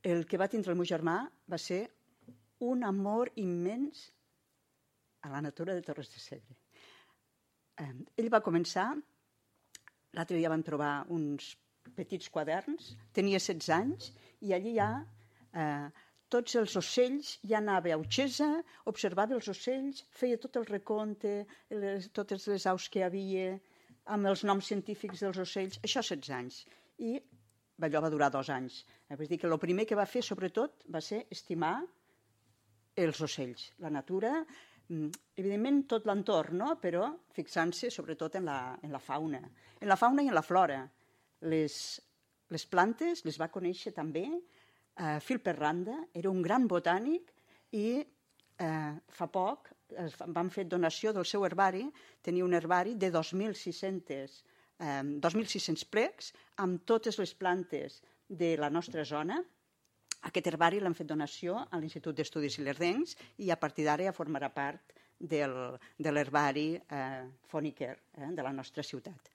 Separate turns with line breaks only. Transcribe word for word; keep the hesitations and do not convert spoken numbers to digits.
el que va tindre el meu germà va ser un amor immens a la natura de Torres de Segre. Eh, ell va començar, l'altre dia vam trobar uns petits quaderns, tenia setze anys, i allí ja eh, tots els ocells, ja anava a Utxesa, observava els ocells, feia tot el recompte, les, totes les aus que hi havia, amb els noms científics dels ocells, això setze anys. I allò va durar dos anys. Eh, vull dir que el primer que va fer, sobretot, va ser estimar els ocells, la natura, evidentment tot l'entorn, no? Però fixant-se sobretot en la, en la fauna. En la fauna i en la flora. Les, les plantes les va conèixer també. Uh, Phil Perranda era un gran botànic i uh, fa poc es van fer donació del seu herbari. Tenia un herbari de dos mil sis-cents um, dos mil sis-cents plecs amb totes les plantes de la nostra zona. Aquest herbari l'han fet donació a l'Institut d'Estudis Ilerdencs i a partir d'ara ja formarà part del, de l'herbari eh, Foneker eh, de la nostra ciutat.